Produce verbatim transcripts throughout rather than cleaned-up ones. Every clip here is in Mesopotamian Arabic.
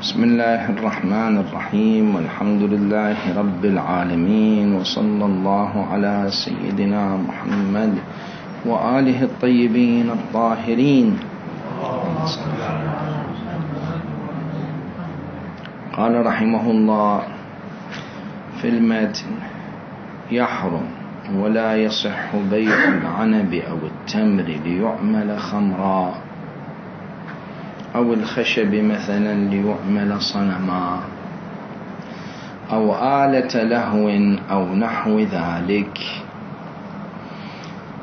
بسم الله الرحمن الرحيم، والحمد لله رب العالمين، وصلى الله على سيدنا محمد وآله الطيبين الطاهرين. قال رحمه الله في المتن: يحرم ولا يصح بيع العنب أو التمر ليعمل خمرا، أو الخشب مثلا ليعمل صنما، أو آلة لهو أو نحو ذلك،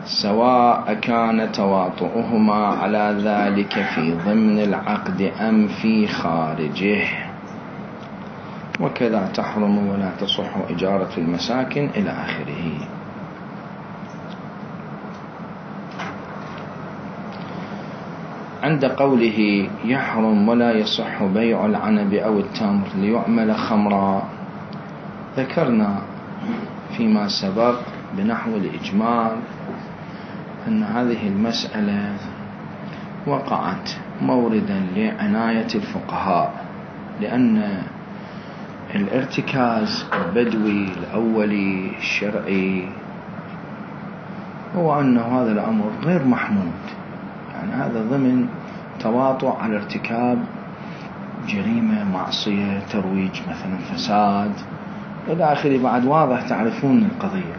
سواء كان تواطؤهما على ذلك في ضمن العقد أم في خارجه. وكذا تحرم ولا تصح إجارة المساكن إلى آخره. عند قوله يحرم ولا يصح بيع العنب أو التمر ليعمل خمرا، ذكرنا فيما سبق بنحو الإجمال أن هذه المسألة وقعت موردا لعناية الفقهاء، لأن الارتكاز البدوي الأولي الشرعي هو أن هذا الأمر غير محمود، يعني هذا ضمن تواطؤ على ارتكاب جريمة، معصية، ترويج مثلا، فساد إلى آخره. بعد واضح تعرفون القضية،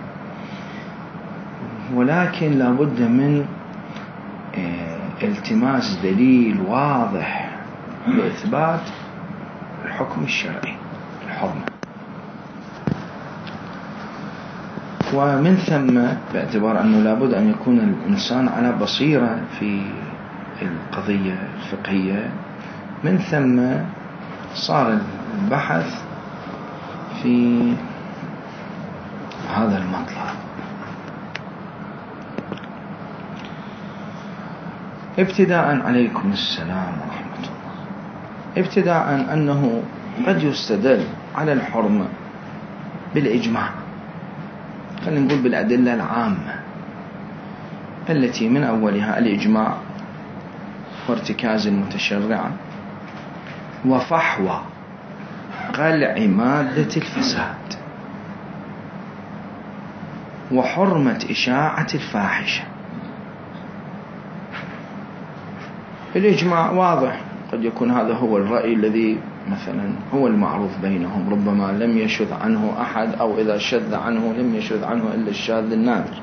ولكن لابد من التماس دليل واضح لإثبات الحكم الشرعي الحرمة. ومن ثم باعتبار أنه لابد أن يكون الإنسان على بصيرة في القضية الفقهية، من ثم صار البحث في هذا المطلب. ابتداء عليكم السلام ورحمة الله. ابتداء أنه قد يستدل على الحرمة بالإجماع، خلينا نقول بالأدلة العامة التي من أولها الإجماع وارتكاز المتشرع وفحوى قلع مادة الفساد وحرمة إشاعة الفاحشة. الإجماع واضح، قد يكون هذا هو الرأي الذي مثلا هو المعروف بينهم، ربما لم يشذ عنه أحد، أو إذا شذ عنه لم يشذ عنه إلا الشاذ النادر.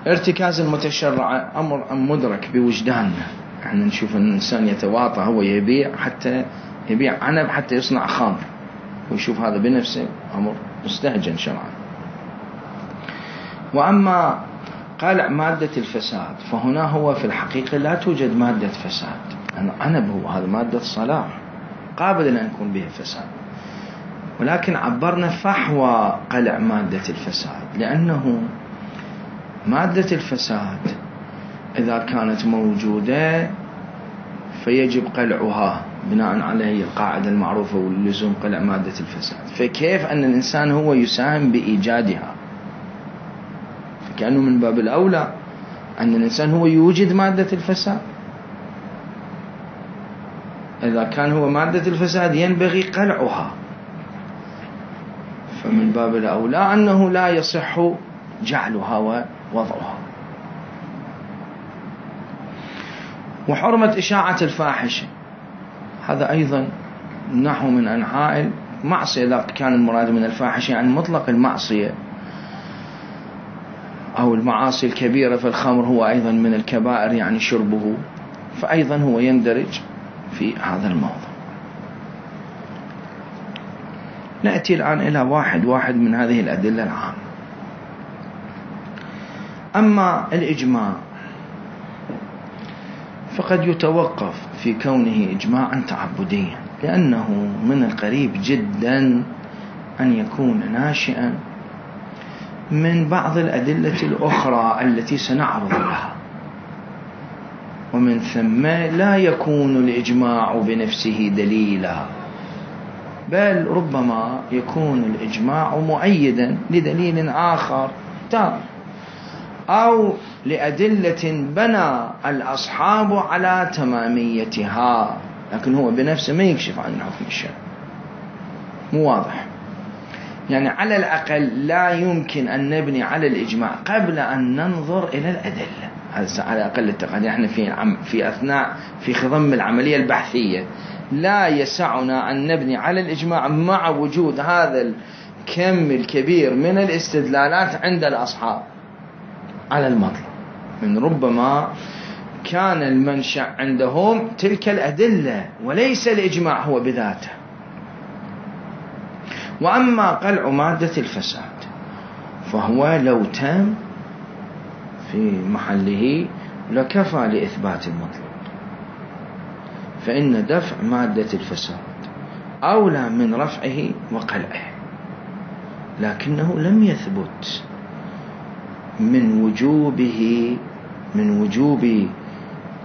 ارتكاز المتشرع أمر مدرك بوجداننا، احنا نشوف أن الإنسان يتواطى، هو يبيع حتى يبيع عنب حتى يصنع خمر، ويشوف هذا بنفسه أمر مستهجن شرعا. وأما قلع مادة الفساد فهنا هو في الحقيقة لا توجد مادة فساد، العنب هو هذا مادة صلاح قابل أن يكون به فساد، ولكن عبرنا فحوى قلع مادة الفساد، لأنه مادة الفساد إذا كانت موجودة فيجب قلعها بناء على القاعدة المعروفة واللزوم قلع مادة الفساد. فكيف أن الإنسان هو يساهم بإيجادها؟ كأنه من باب الأولى أن الإنسان هو يوجد مادة الفساد. إذا كان هو مادة الفساد ينبغي قلعها، فمن باب الأولى أنه لا يصح جعلها ووضعها. وحرمة إشاعة الفاحشة هذا أيضا نحو من أنحاء المعصية، إذا كان المراد من الفاحشة يعني مطلق المعصية أو المعاصي الكبيرة، فالخمر هو أيضا من الكبائر يعني شربه، فأيضا هو يندرج في هذا الموضوع. نأتي الآن إلى واحد واحد من هذه الأدلة العامة. أما الإجماع فقد يتوقف في كونه إجماعا تعبديا، لأنه من القريب جدا أن يكون ناشئا من بعض الأدلة الأخرى التي سنعرض لها، ومن ثم لا يكون الإجماع بنفسه دليلا، بل ربما يكون الإجماع مؤيدا لدليل آخر تام، أو لأدلة بنى الأصحاب على تماميتها لكن هو بنفسه ما يكشف عن الحكم الشرعي، مو واضح. يعني على الأقل لا يمكن أن نبني على الإجماع قبل أن ننظر إلى الأدلة. هذا على أقل التقدير. احنا في في أثناء في خضم العملية البحثية لا يسعنا أن نبني على الإجماع مع وجود هذا الكم الكبير من الاستدلالات عند الأصحاب على المطلب. من ربما كان المنشأ عندهم تلك الأدلة وليس الإجماع هو بذاته. وأما قلع مادة الفساد فهو لو تم في محله لكفى لإثبات المطلب، فإن دفع مادة الفساد أولى من رفعه وقلعه، لكنه لم يثبت من وجوبه من وجوب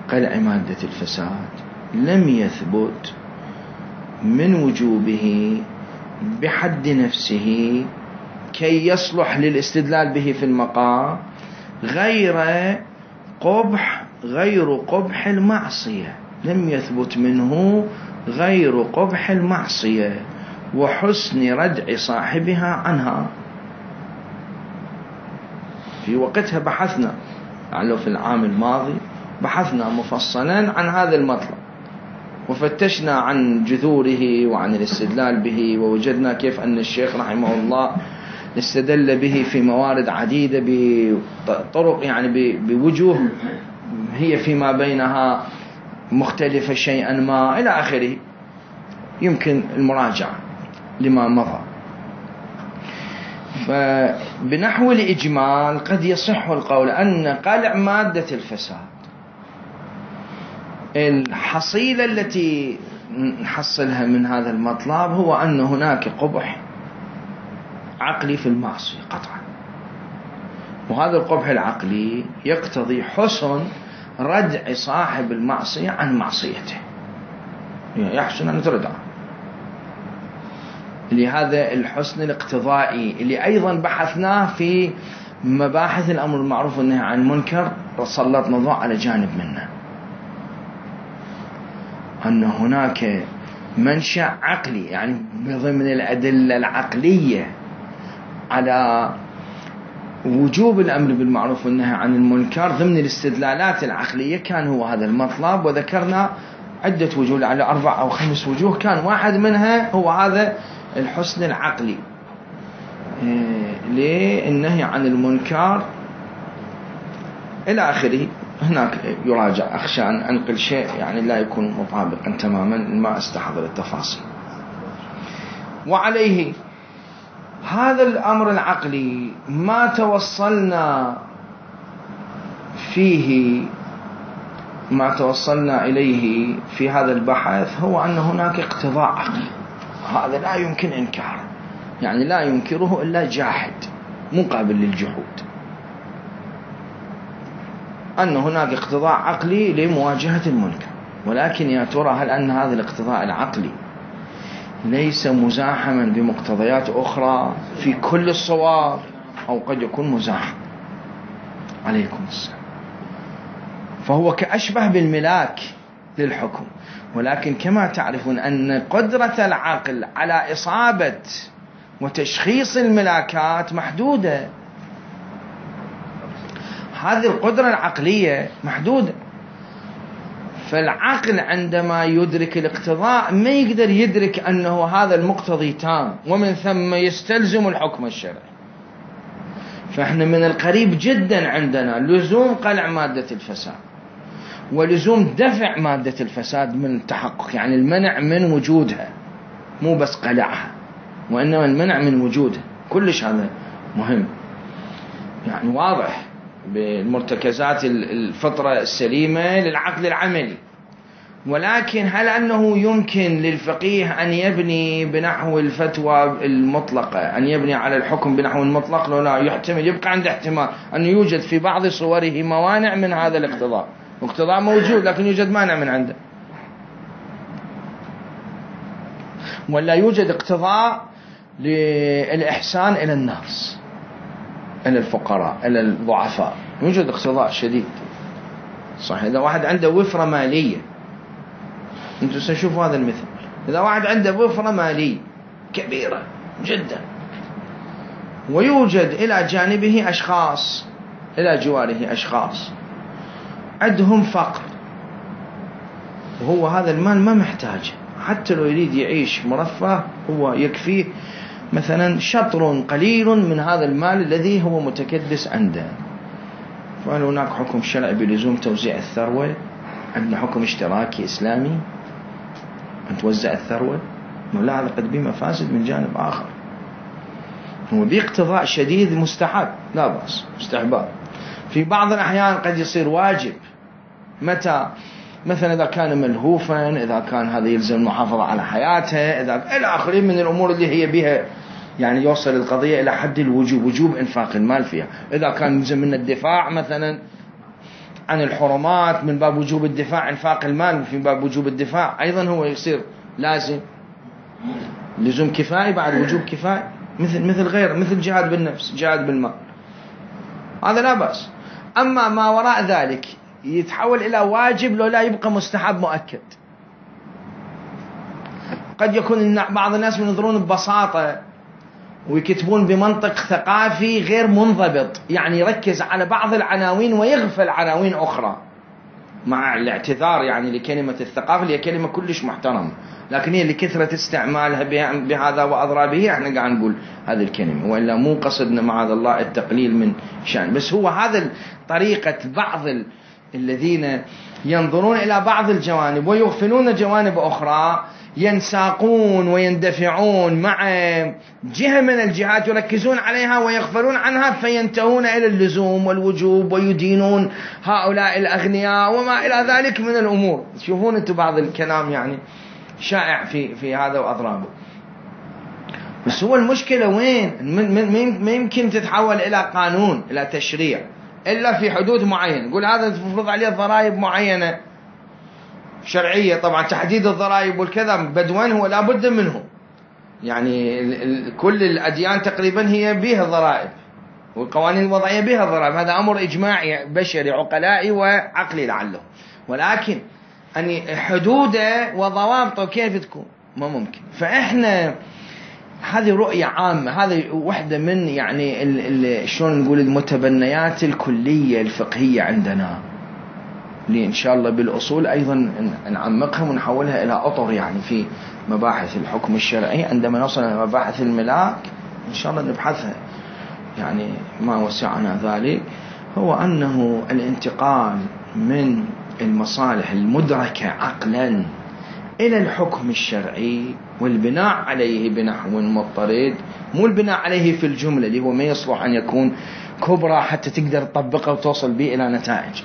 قلع مادة الفساد، لم يثبت من وجوبه بحد نفسه كي يصلح للاستدلال به في المقام غير قبح غير قبح المعصية. لم يثبت منه غير قبح المعصية وحسن ردع صاحبها عنها. في وقتها بحثنا يعني في العام الماضي بحثنا مفصلا عن هذا المطلب وفتشنا عن جذوره وعن الاستدلال به، ووجدنا كيف أن الشيخ رحمه الله استدل به في موارد عديدة بطرق يعني بوجوه هي فيما بينها مختلفة شيئا ما إلى آخره. يمكن المراجعة لما مضى. فبنحو الإجمال قد يصح القول أن قلع مادة الفساد الحصيلة التي نحصلها من هذا المطلب هو أن هناك قبح عقلي في المعصية قطعا، وهذا القبح العقلي يقتضي حسن ردع صاحب المعصية عن معصيته، يحسن أن تردع. لهذا الحسن الاقتضائي اللي أيضا بحثناه في مباحث الأمر المعروف والنهي عن المنكر سلطنا الضوء على جانب منه، أن هناك منشأ عقلي يعني ضمن الأدلة العقلية على وجوب الأمر بالمعروف والنهي عن المنكر ضمن الاستدلالات العقلية كان هو هذا المطلب. وذكرنا عدة وجوه على أربع أو خمس وجوه، كان واحد منها هو هذا الحسن العقلي للنهي عن المنكر إلى آخره. هناك يراجع، أخشى أن أنقل شيء يعني لا يكون مطابقا تماما، ما استحضر التفاصيل. وعليه هذا الأمر العقلي ما توصلنا فيه ما توصلنا إليه في هذا البحث هو أن هناك اقتضاء عقلي، هذا لا يمكن إنكاره، يعني لا ينكره إلا جاحد مقابل للجحود، أن هناك اقتضاء عقلي لمواجهة المنكر. ولكن يا ترى هل أن هذا الاقتضاء العقلي ليس مزاحما بمقتضيات أخرى في كل الصور، أو قد يكون مزاحم؟ عليكم السلام. فهو كأشبه بالملاك للحكم، ولكن كما تعرفون أن قدرة العقل على إصابة وتشخيص الملاكات محدودة. هذه القدرة العقلية محدودة، فالعقل عندما يدرك الاقتضاء ما يقدر يدرك أنه هذا المقتضي تام، ومن ثم يستلزم الحكم الشرعي. فإحنا من القريب جدا عندنا لزوم قلع مادة الفساد ولزوم دفع مادة الفساد من التحقق، يعني المنع من وجودها، مو بس قلعها وإنما المنع من وجودها. كلش هذا مهم، يعني واضح بالمرتكزات الفطرة السليمة للعقل العملي. ولكن هل أنه يمكن للفقيه أن يبني بنحو الفتوى المطلقة، أن يبني على الحكم بنحو المطلق؟ لا، يحتمل يبقى عند احتمال أن يوجد في بعض صوره موانع من هذا الاقتضاء. الاقتضاء موجود لكن يوجد مانع من عنده، ولا يوجد اقتضاء للإحسان إلى الناس، إلى الفقراء، إلى الضعفاء، يوجد اقتضاء شديد. صحيح، إذا واحد عنده وفرة مالية انتم ستشوفوا هذا المثل. إذا واحد عنده وفرة مالية كبيرة جدا ويوجد إلى جانبه أشخاص، إلى جواره أشخاص عندهم فقر، وهو هذا المال ما محتاج، حتى لو يريد يعيش مرفه هو يكفيه مثلا شطر قليل من هذا المال الذي هو متكدس عنده. فهل هناك حكم شرعي بلزوم توزيع الثروة؟ عندنا حكم اشتراكي إسلامي أن توزع الثروة؟ لا، هذا قد به مفاسد من جانب آخر. هو باقتضاء شديد مستحب، لا بأس، مستحباب. في بعض الأحيان قد يصير واجب، متى؟ مثلا إذا كان ملهوفا، إذا كان هذا يلزم المحافظة على حياته، إذا إلى آخره من الأمور اللي هي بها يعني يوصل القضية إلى حد الوجوب، وجوب إنفاق المال فيها. إذا كان يلزم من الدفاع مثلا عن الحرمات من باب وجوب الدفاع إنفاق المال، وفي باب وجوب الدفاع أيضا هو يصير لازم لزوم كفائي بعد وجوب كفائي، مثل مثل غير مثل جهاد بالنفس، جهاد بالمال، هذا لا بأس. أما ما وراء ذلك يتحول إلى واجب لو لا يبقى مستحب مؤكد. قد يكون بعض الناس ينظرون ببساطة ويكتبون بمنطق ثقافي غير منضبط، يعني يركز على بعض العناوين ويغفل عناوين أخرى، مع الاعتذار يعني لكلمة الثقافة اللي هي كلمة كلش محترمة، لكن هي لكثرة استعمالها بهذا وأضرابه احنا قاعد نقول هذه الكلمة، وإلا مو قصدنا معاذ الله التقليل من شأن. بس هو هذا طريقة بعض الذين ينظرون إلى بعض الجوانب ويغفلون جوانب أخرى، ينساقون ويندفعون مع جهة من الجهات يركزون عليها ويغفلون عنها، فينتهون إلى اللزوم والوجوب ويدينون هؤلاء الأغنياء وما إلى ذلك من الأمور. تشوفون أنتم بعض الكلام يعني شائع في في هذا وأضرابه. بس هو المشكلة وين؟ ما يمكن تتحول إلى قانون، إلى تشريع، إلا في حدود معينة. نقول هذا تفرض عليه ضرائب معينة شرعية، طبعا تحديد الضرائب والكذا بدوان هو لا بد منه، يعني كل الأديان تقريبا هي بها ضرائب، والقوانين الوضعية بها ضرائب، هذا أمر إجماعي بشري عقلائي وعقلي لعله. ولكن أن حدوده وضوابطه كيف تكون ما ممكن. فإحنا هذه رؤية عامة، هذه واحدة من يعني شلون نقول المتبنيات الكلية الفقهية عندنا، اللي إن شاء الله بالأصول أيضا نعمقها ونحولها إلى أطر يعني في مباحث الحكم الشرعي. عندما نصل إلى مباحث الملاك إن شاء الله نبحثها، يعني ما وسعنا ذلك. هو أنه الانتقال من المصالح المدركة عقلا إلى الحكم الشرعي والبناء عليه بنحو مضطرد، مو البناء عليه في الجملة اللي هو ما يصلح أن يكون كبرى حتى تقدر تطبقه وتوصل به إلى نتائج.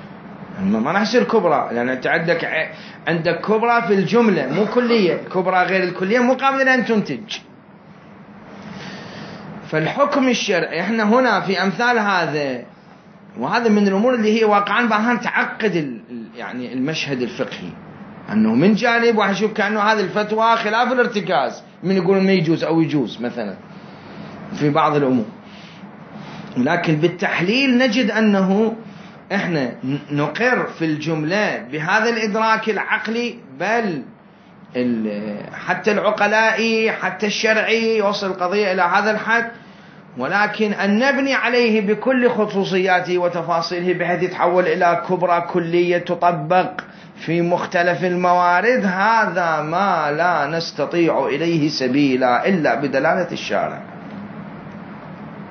ما راح يصير كبرى، لأن أنت عندك عندك كبرى في الجملة مو كلية، كبرى غير الكلية مو قابلة أن تنتج. فالحكم الشرعي احنا هنا في أمثال هذا، وهذا من الأمور اللي هي واقعا بعضها تعقد يعني المشهد الفقهي، أنه من جانب واحد يشوف كأنه هذه الفتوى خلاف الارتكاز، من يقول ما يجوز أو يجوز مثلا في بعض الأمور، لكن بالتحليل نجد أنه احنا نقر في الجملة بهذا الإدراك العقلي، بل حتى العقلائي حتى الشرعي يوصل القضية إلى هذا الحد، ولكن أن نبني عليه بكل خصوصياته وتفاصيله بحيث يتحول إلى كبرى كلية تطبق في مختلف الموارد، هذا ما لا نستطيع إليه سبيلا إلا بدلالة الشارع،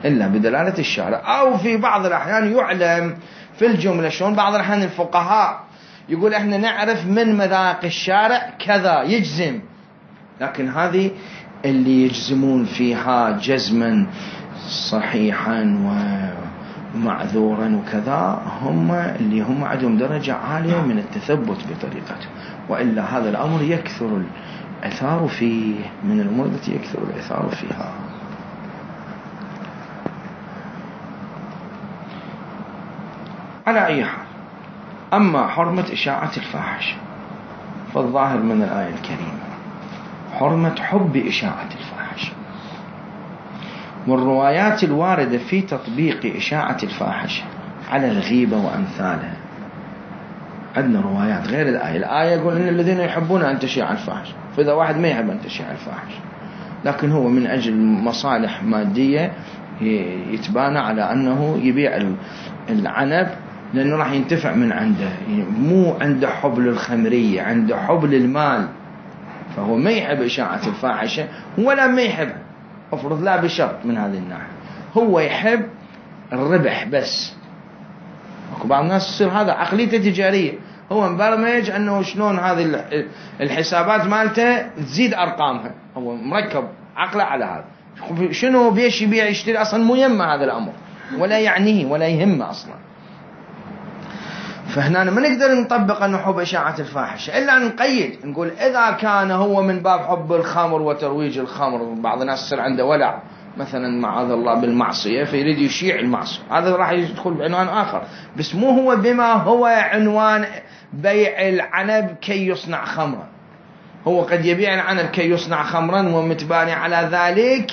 إلا بدلالة الشارع. أو في بعض الأحيان يعلم في الجملة شلون، بعض الأحيان الفقهاء يقول إحنا نعرف من مذاق الشارع كذا يجزم، لكن هذه اللي يجزمون فيها جزما صحيحا ومعذورا وكذا هم اللي هم عندهم درجة عالية من التثبت بطريقته، وإلا هذا الأمر يكثر الإثار فيه، من الأمور التي يكثر الإثار فيها. على أي حال، أما حرمة إشاعة الفاحشة فالظاهر من الآية الكريمة حرمة حب إشاعة الفاحشة، والروايات الواردة في تطبيق إشاعة الفاحشة على الغيبة وأمثالها عندنا روايات غير الآية. الآية يقول إن الذين يحبون أن تشيع الفاحشة، فإذا واحد ما يحب أن تشيع الفاحشة لكن هو من أجل مصالح مادية يتبانى على أنه يبيع العنب لأنه راح ينتفع من عنده، مو عنده حب للخمرية، عنده حب للمال، فهو ما يحب إشاعة الفاحشة ولا ما يحب أفرض لا بشرط من هذه الناحية، هو يحب الربح بس. اكو بعض الناس تصير هذا عقليته تجارية، هو مبرمج أنه شلون هذه الحسابات مالته تزيد أرقامها، هو مركب عقله على هذا، شنو بيش يبيع يشتري أصلا مو يهمه هذا الأمر ولا يعنيه ولا يهمه أصلا. فهنا ما نقدر نطبق أنه حب إشاعة الفاحشة إلا أن نقيد نقول إذا كان هو من باب حب الخمر وترويج الخمر، بعض الناس يصير عنده ولع مثلا معاذ الله بالمعصية فيريد يشيع المعصية، هذا راح يدخل بعنوان آخر، بس مو هو بما هو عنوان بيع العنب كي يصنع خمرا. هو قد يبيع العنب كي يصنع خمرا ومتباني على ذلك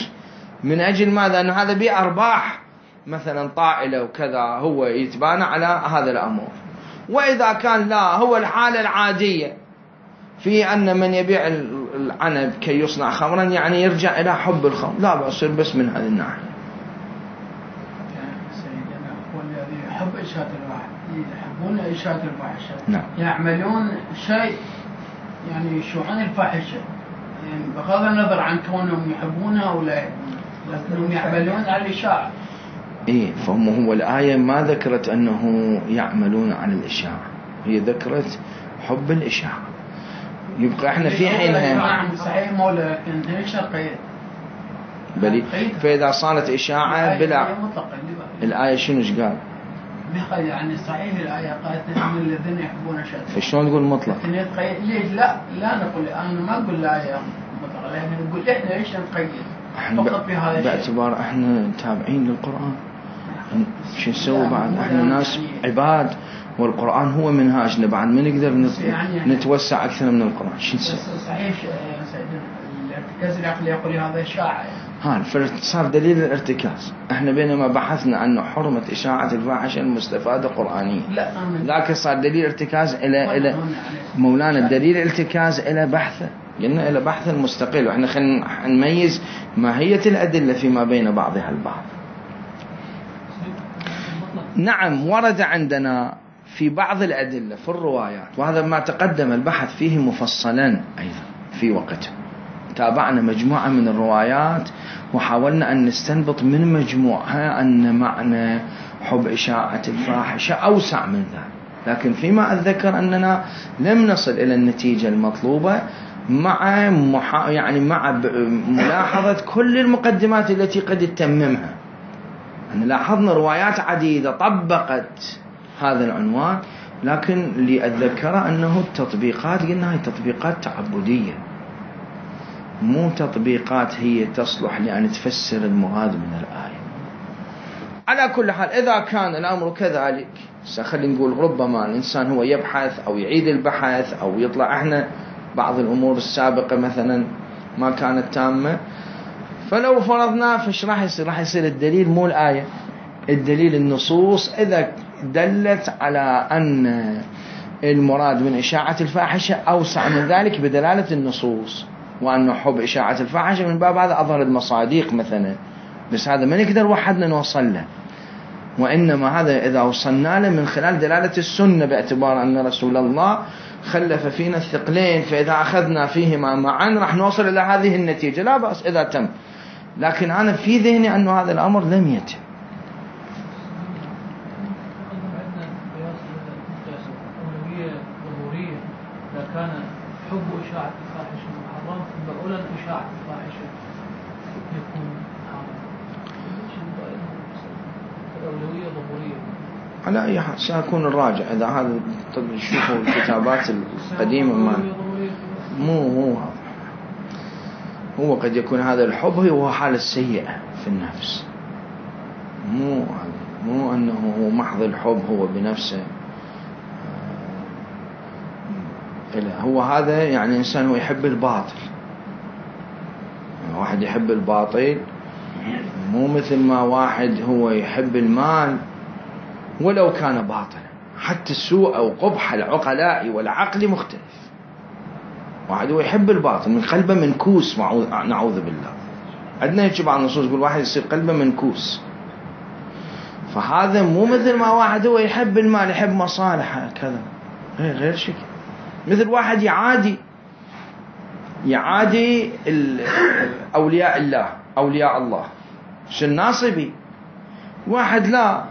من أجل ماذا؟ أنه هذا بيع أرباح مثلا طائلة وكذا، هو يتبانى على هذا الأمر. وإذا كان لا، هو الحالة العادية في أن من يبيع العنب كي يصنع خمرا يعني يرجع إلى حب الخمر، لا بأس بس من هذه الناحية. سيدنا هو الذي يحب إشاعة الفاحشة، يحبون إشاعة الفاحشة، نعم. يعملون شيء يعني يشوعون الفاحشة، يعني بغض النظر عن كونهم يحبونها ولا يحبونها، لكنهم يعملون على الإشاعة. إيه، فهم هو الآية ما ذكرت أنه يعملون على الإشاعة، هي ذكرت حب الإشاعة. يبقى احنا في حينها صحيح مولا، لكن ليش القيد؟ بلي فإذا صارت إشاعة بلا الآية شنو ايش قال؟ يعني صحيح الآية قالت إن الذين يحبون الشر، فشلون تقول مطلق؟ ليش لا لا نقول، أنا ما أقول الآية مطلق، لكن نقول إحنا ليش نقيد فقط بهذا الشيء؟ باعتبار احنا تابعين للقرآن، شو نسوي بعد؟ احنا ناس عباد والقرآن هو منهاجنا، بعد ما نقدر نتوسع أكثر من القرآن. شو نسوي؟ صحيح سيدنا الارتكاز العقلي يقول هذا إشاعة، ها صار دليل الارتكاز. احنا بينما بحثنا عن حرمة إشاعة الفاحشة المستفادة قرآنية، لا لكن صار دليل ارتكاز إلى إلى مولانا الدليل ارتكاز إلى بحثه، قلنا إلى بحث المستقل، وإحنا خلينا نميز ماهية الأدلة فيما بين بعضها البعض. نعم ورد عندنا في بعض الأدلة في الروايات، وهذا ما تقدم البحث فيه مفصلا أيضا في وقته، تابعنا مجموعة من الروايات وحاولنا أن نستنبط من مجموعها أن معنى حب إشاعة الفاحشة أوسع من ذلك، لكن فيما أتذكر أننا لم نصل إلى النتيجة المطلوبة مع محا... يعني مع ملاحظة كل المقدمات التي قد تتممها. أن لاحظنا روايات عديدة طبقت هذا العنوان، لكن اللي أتذكره أنه التطبيقات قلنا هي تطبيقات تعبدية، مو تطبيقات هي تصلح لأن تفسر المراد من الآية. على كل حال إذا كان الأمر كذلك، سخلي نقول ربما الإنسان هو يبحث أو يعيد البحث أو يطلع احنا بعض الأمور السابقة مثلا ما كانت تامة، فلو فرضنا فش راح يصير؟ راح يصير الدليل مو الآية، الدليل النصوص إذا دلت على أن المراد من إشاعة الفاحشة أوسع من ذلك بدلالة النصوص، وأنه حب إشاعة الفاحشة من باب هذا أظهر المصادق مثلا، بس هذا ما نقدر وحدنا نوصل له، وإنما هذا إذا وصلنا له من خلال دلالة السنة، باعتبار أن رسول الله خلف فينا الثقلين، فإذا أخذنا فيهما معا راح نوصل إلى هذه النتيجة، لا بأس إذا تم. لكن أنا في ذهني أنه هذا الأمر لم يتم. كان حب إشاعة الفاحشة محرم فأولا إشاعة الفاحشة يكون حرام، الأولوية ضرورية. على أي حال سيكون الراجع إذا هذا تشوفوا الكتابات القديمة ما مو مو هو قد يكون هذا الحب هو حالة سيئة في النفس، مو مو أنه هو محض الحب هو بنفسه، هو هذا يعني إنسان هو يحب الباطل، واحد يحب الباطل مو مثل ما واحد هو يحب المال ولو كان باطلا، حتى السوء أو قبح العقلاء والعقل مختلف. واحد هو يحب الباطل من قلبه منكوس، نعوذ بالله. عندنا هيك بعض النصوص يقول واحد يصير قلبه منكوس، فهذا مو مثل ما واحد هو يحب المال يحب مصالحه كذا، هي غير شكل. مثل واحد يعادي يعادي أولياء الله أولياء الله الناصبي، واحد لا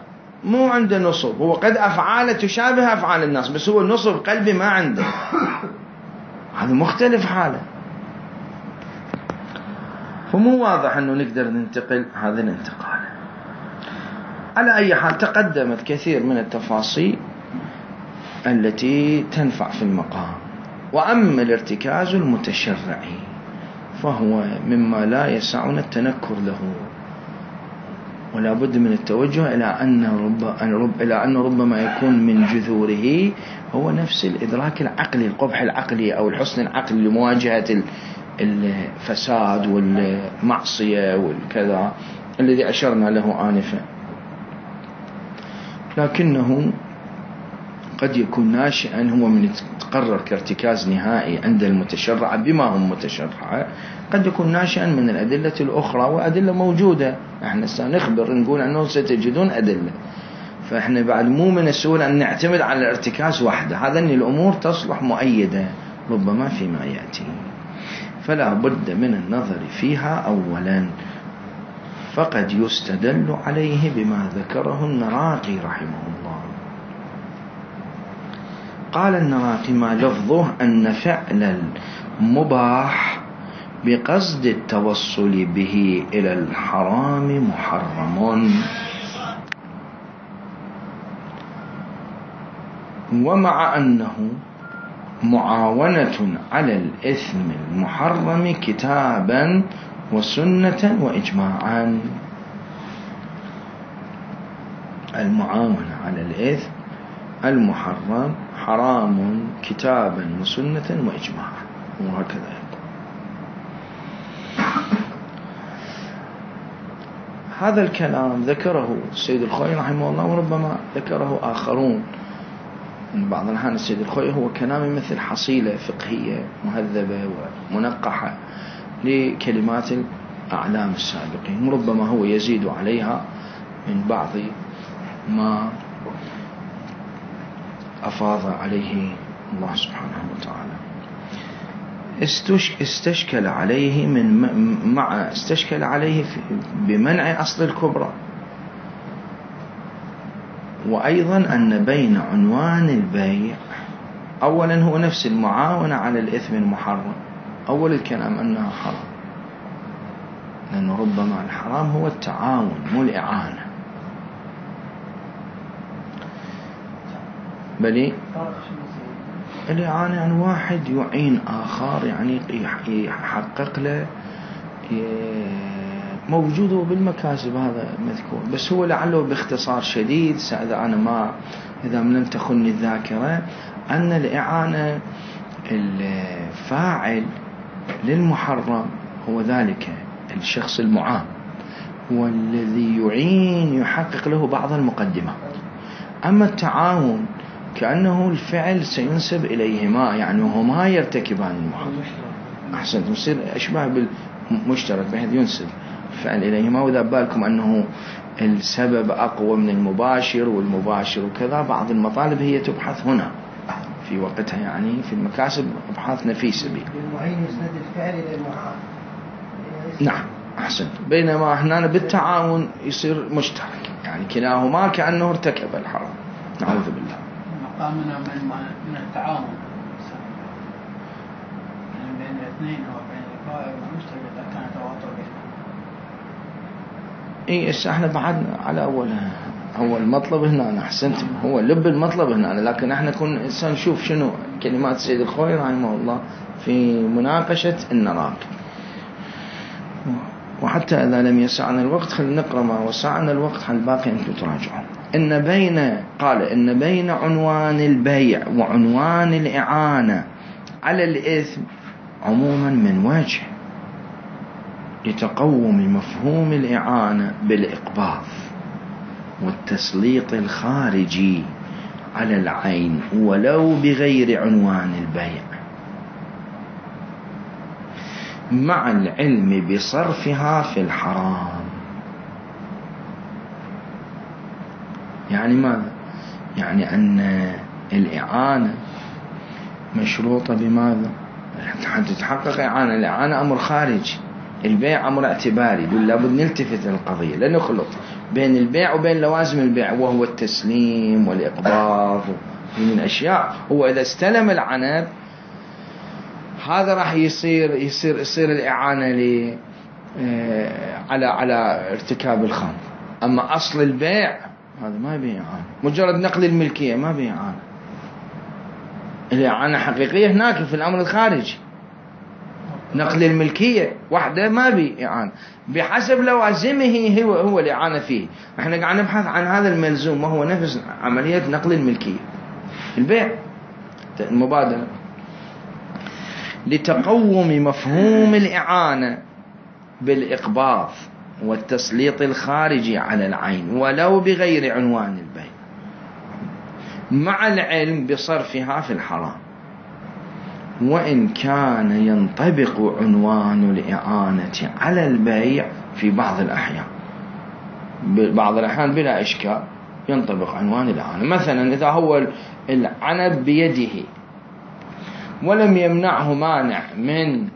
مو عنده نصب، هو قد أفعاله تشابه أفعال الناس بس هو النصب قلبي ما عنده، هذا مختلف حاله. فمو واضح أنه نقدر ننتقل هذا الانتقال. على أي حال تقدمت كثير من التفاصيل التي تنفع في المقام. وأما الارتكاز المتشرعي فهو مما لا يسعنا التنكر له، ولا بد من التوجه إلى أن رب إلى أن ربما يكون من جذوره هو نفس الإدراك العقلي، القبح العقلي أو الحسن العقلي لمواجهة الفساد والمعصية والكذا الذي أشرنا له آنفا. لكنه قد يكون ناشئا هو من تقرر كارتكاز نهائي عند المتشرع بما هم متشرعة، قد يكون ناشئا من الأدلة الأخرى، وأدلة موجودة احنا سنخبر نقول أنه ستجدون أدلة. فاحنا بعد مو من السهول أن نعتمد على الارتكاز وحده، هذا أن الأمور تصلح مؤيدة ربما فيما يأتي، فلا بد من النظر فيها أولا. فقد يستدل عليه بما ذكره النراقي رحمه الله. قال النراقي ما لفظه أن فعل المباح بقصد التوصل به إلى الحرام محرم، ومع أنه معاونة على الإثم المحرم كتابا وسنة وإجماعا. المعاونة على الإثم المحرم حرام كتابا وسنة وإجماعا، وهكذا يقول. هذا الكلام ذكره السيد الخوئي رحمه الله، وربما ذكره آخرون من بعض الأحيان. السيد الخوئي هو كلام مثل حصيلة فقهية مهذبة ومنقحة لكلمات الأعلام السابقين، وربما هو يزيد عليها من بعض ما أفاض عليه الله سبحانه وتعالى. استشكل عليه من مع استشكل عليه بمنع أصل الكبرى، وأيضا أن بين عنوان البيع أولا هو نفس المعاونة على الإثم المحرم، أول الكلام أنها حرام، لأنه ربما الحرام هو التعاون مو الإعانة. بل الإعانة يعني واحد يعين آخر، يعني يحقق له موجوده بالمكاسب، هذا مذكور. بس هو لعله باختصار شديد، إذا أنا ما إذا لم تخني الذاكرة، أن الإعانة الفاعل للمحرم هو ذلك الشخص المعان، هو الذي يعين يحقق له بعض المقدمات. أما التعاون كأنه الفعل سينسب إليهما، يعني هما يرتكبان المحرم. أحسنت، يصير أشبه بالمشترك بحيث ينسب الفعل إليهما. وإذا بالكم أنه السبب أقوى من المباشر والمباشر وكذا، بعض المطالب هي تبحث هنا في وقتها، يعني في المكاسب أبحاث نفيسة به. المعين يسند الفعل إلى المعان. نعم أحسنت. بينما هنا بالتعاون يصير مشترك، يعني كلاهما كأنه ارتكب الحرام، نعوذ بالله. مقامنا من من التعاون يعني بين الاثنين أو بين الفاعل والمشترك إذا كان تواتر بينهم. إيه إيش إحنا بعدنا على أول هو المطلب هنا، أحسنت، هو لب المطلب هنا. لكن إحنا كنا إنسان نشوف شنو كلمات السيد الخوئي رحمه الله في مناقشة النراقي. وحتى إذا لم يسعنا الوقت خلينا نقرأ ما وسعنا الوقت، الباقي أنتم تراجعون. إن بين قال إن بين عنوان البيع وعنوان الإعانة على الإثم عموما من وجه لتقوم مفهوم الإعانة بالإقباض والتسليط الخارجي على العين ولو بغير عنوان البيع مع العلم بصرفها في الحرام. يعني ماذا؟ يعني أن الإعانة مشروطة بماذا؟ حتى تتحقق إعانة. الإعانة أمر خارجي، البيع أمر اعتباري، لابد نلتفت القضية، لا نخلط بين البيع وبين لوازم البيع وهو التسليم والإقباض من الأشياء. هو إذا استلم العنب هذا راح يصير يصير يصير الإعانة لي على على ارتكاب الخمر. أما أصل البيع هذا ما بيه إعانة، مجرد نقل الملكية ما بيه إعانة. الإعانة حقيقية هناك في الأمر الخارجي، نقل الملكية وحده ما بيه إعانة بحسب لوازمه، هو هو الإعانة فيه. احنا قاعد نبحث عن هذا الملزوم وهو نفس عملية نقل الملكية، البيع، المبادلة، لتقوم مفهوم الإعانة بالإقباض والتسليط الخارجي على العين ولو بغير عنوان البيع مع العلم بصرفها في الحرام، وإن كان ينطبق عنوان الإعانة على البيع في بعض الأحيان. بعض الأحيان بلا إشكال ينطبق عنوان الإعانة. مثلا إذا هو العنب بيده ولم يمنعه مانع من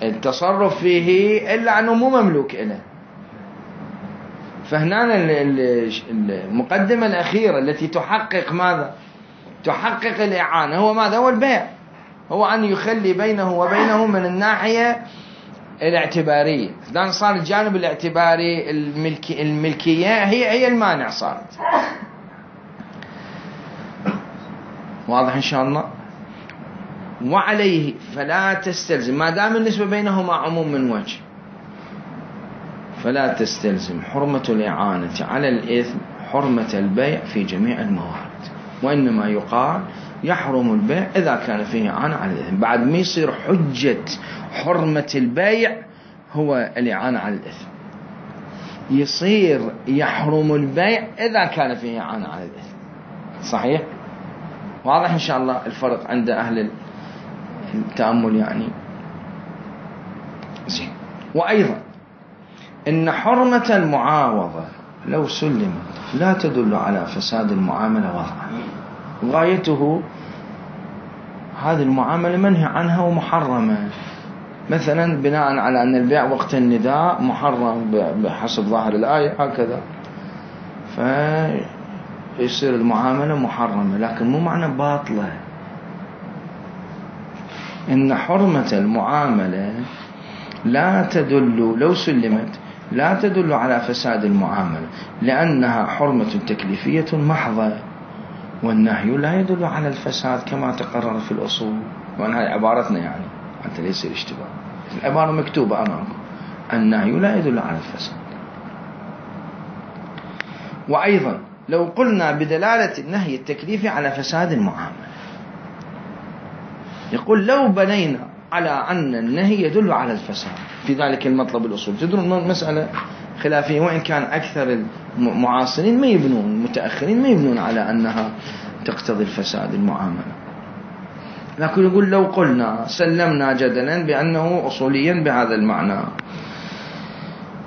التصرف فيه إلا أنه مو مملوك إله، فهنا المقدمة الأخيرة التي تحقق ماذا؟ تحقق الإعانة هو ماذا؟ هو البيع، هو أن يخلي بينه وبينه من الناحية الاعتبارية. إذا صار الجانب الاعتباري الملكي الملكية هي هي المانع صارت. واضح إن شاء الله؟ وعليه فلا تستلزم، ما دام النسبة بينهما عموم من وجه، فلا تستلزم حرمة الإعانة على الإثم حرمة البيع في جميع الموارد، وإنما يقال يحرم البيع إذا كان فيه إعانة على الإثم. بعد ما يصير حجة حرمة البيع هو الإعانة على الإثم، يصير يحرم البيع إذا كان فيه إعانة على الإثم. صحيح؟ واضح إن شاء الله الفرق عند أهل التأمل يعني. زين. وأيضا إن حرمة المعاوضة لو سلمت لا تدل على فساد المعاملة وضعا، غايته هذه المعاملة منهي عنها ومحرمة، مثلا بناء على أن البيع وقت النداء محرم بحسب ظاهر الآية هكذا، فيصير المعاملة محرمة لكن مو معنى باطلة. إن حرمة المعاملة لا تدل لو سلمت لا تدل على فساد المعاملة، لأنها حرمة تكليفية محضة، والنهي لا يدل على الفساد كما تقرر في الأصول. وأن هذه عبارتنا يعني حتى ليس الاشتباه، العبارة مكتوبة أمامكم، النهي لا يدل على الفساد. وأيضا لو قلنا بدلالة النهي التكليفي على فساد المعاملة، يقول لو بنينا على أن النهي يدل على الفساد في ذلك المطلب الأصول، تدرون مسألة خلافية، وإن كان أكثر المعاصرين ما يبنون، المتأخرين ما يبنون على أنها تقتضي الفساد المعاملة، لكن يقول لو قلنا سلمنا جدلا بأنه أصوليا بهذا المعنى،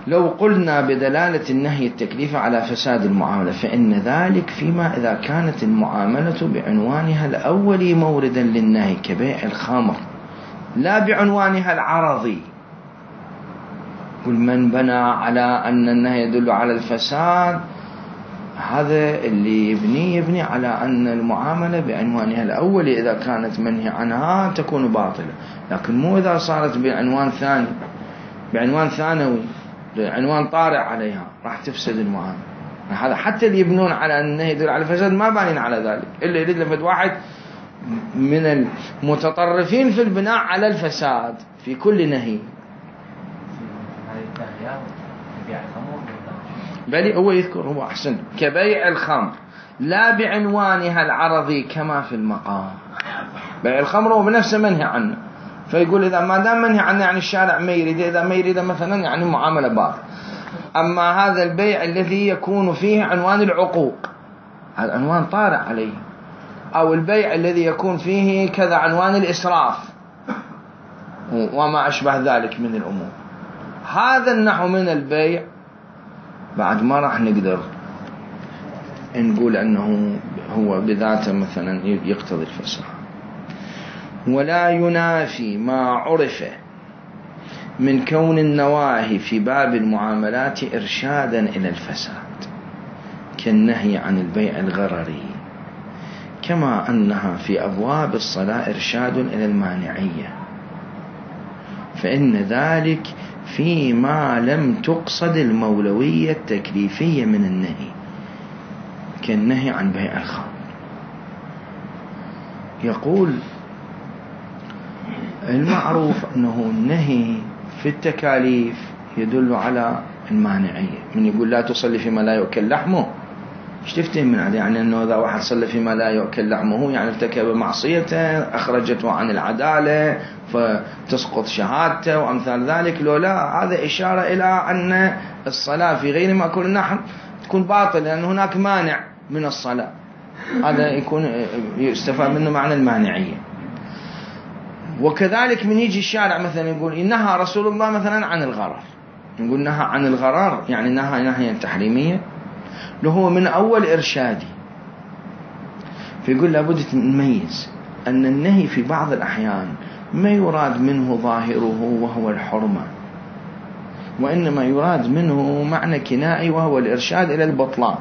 لو قلنا بدلالة النهي التكليفي على فساد المعاملة فإن ذلك فيما إذا كانت المعاملة بعنوانها الأولي موردا للنهي كبيع الخمر لا بعنوانها العرضي. كل من بنى على أن النهي يدل على الفساد هذا اللي يبني يبني على أن المعاملة بعنوانها الأولي إذا كانت منهي عنها تكون باطلة، لكن مو إذا صارت بعنوان ثاني، بعنوان ثانوي، عنوان طارئ عليها راح تفسد المعاملة. هذا حتى اللي يبنون على أن النهي يدل على الفساد ما بانين على ذلك، إلا يريد لفت واحد من المتطرفين في البناء على الفساد في كل نهي. بل هو يذكر هو أحسن كبيع الخمر لا بعنوانها العرضي كما في المقام. بيع الخمر هو بنفسه منهي عنه، فيقول إذا ما دام منهي عنه يعني الشارع ما يريد، إذا ما يريد مثلا يعني معاملة باطلة. أما هذا البيع الذي يكون فيه عنوان العقوق هذا عنوان طارئ عليه. أو البيع الذي يكون فيه كذا عنوان الإسراف وما أشبه ذلك من الأمور. هذا النحو من البيع بعد ما راح نقدر نقول أنه هو بذاته مثلا يقتضي الفساد. ولا ينافي ما عرف من كون النواهي في باب المعاملات إرشادا إلى الفساد كالنهي عن البيع الغرري، كما أنها في أبواب الصلاة إرشاد إلى المانعية، فإن ذلك فيما لم تقصد المولوية التكليفية من النهي كالنهي عن بيع الخمر. يقول المعروف أنه النهي في التكاليف يدل على المانعية. من يقول لا تصلي فيما لا يؤكل لحمه، ايش تفتهم من هذا؟ يعني أنه إذا واحد صلى فيما لا يؤكل لحمه يعني ارتكب معصيته أخرجته عن العدالة فتسقط شهادته وأمثال ذلك. لو لا، هذا إشارة إلى أن الصلاة في غير مأكول اللحم تكون باطلة لأن هناك مانع من الصلاة. هذا يكون يستفاد منه معنى المانعية. وكذلك من يجي الشارع مثلا يقول نهى رسول الله مثلا عن الغرر، نقول نهى عن الغرر يعني نهى نهيا تحريمية له هو من أول إرشادي. فيقول لابد نميز أن النهي في بعض الأحيان ما يراد منه ظاهره وهو الحرمة، وإنما يراد منه معنى كنائي وهو الإرشاد إلى البطلان.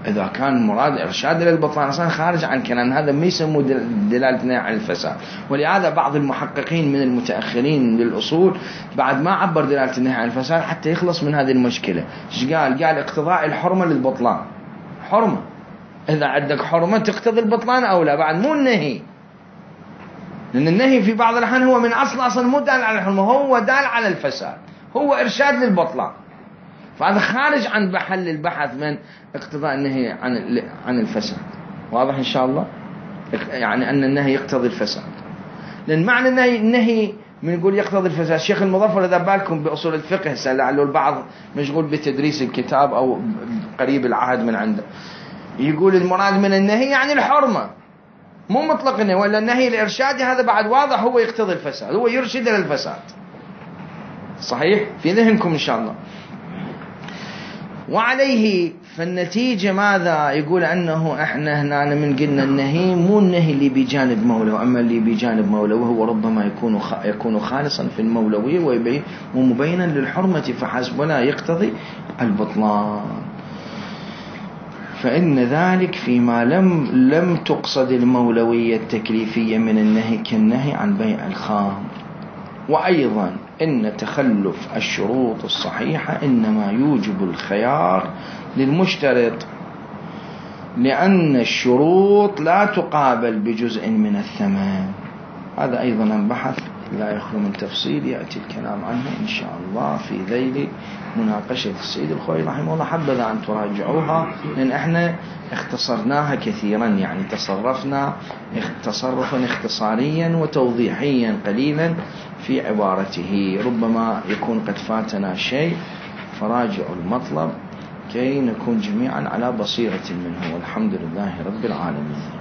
إذا كان مراد إرشاد إلى البطلان أصلا خارج عن كلام، هذا ما يسموه دلالة نهي عن الفساد. ولهذا بعض المحققين من المتأخرين للأصول بعد ما عبر دلالة النهي عن الفساد حتى يخلص من هذه المشكلة. إيش قال؟ قال اقتضاء الحرمة للبطلان. حرمة، إذا عندك حرمة تقتضي البطلان أو لا، بعد مو النهي، لأن النهي في بعض الأحيان هو من أصل أصلا مو دال على الحرمة، هو دال على الفساد، هو إرشاد للبطلان. فهذا خارج عن محل البحث من اقتضاء النهي عن عن الفساد. واضح إن شاء الله؟ يعني أن النهي يقتضي الفساد، لأن معنى النهي النهي من يقول يقتضي الفساد. الشيخ المظفر إذا بالكم بأصول الفقه لعله البعض مشغول بتدريس الكتاب أو قريب العهد من عنده، يقول المراد من النهي يعني الحرمة، مو مطلق النهي، ولا النهي الإرشادي هذا بعد واضح هو يقتضي الفساد، هو يرشد إلى الفساد. صحيح؟ في ذهنكم إن شاء الله. وعليه فالنتيجة ماذا؟ يقول أنه إحنا هنا من قلنا النهي مو النهي اللي بجانب مولوي، أما اللي بجانب مولوي هو ربما يكون يكون خالصا في المولوية ومبينا للحرمة فحسب، ولا يقتضي البطلان. فإن ذلك فيما لم لم تقصد المولوية التكليفية من النهي كالنهي عن بيع الخمر. وأيضا إن تخلف الشروط الصحيحة إنما يوجب الخيار للمشترط، لأن الشروط لا تقابل بجزء من الثمن. هذا أيضا بحث لا يخلو من تفصيل يأتي الكلام عنه إن شاء الله في ذيل مناقشة السيد الخوئي رحمه الله. حبذا أن تراجعوها لأن إحنا اختصرناها كثيرا، يعني تصرفنا تصرفا اختصاريا وتوضيحيا قليلا في عبارته، ربما يكون قد فاتنا شيء، فراجعوا المطلب كي نكون جميعا على بصيرة منه. والحمد لله رب العالمين.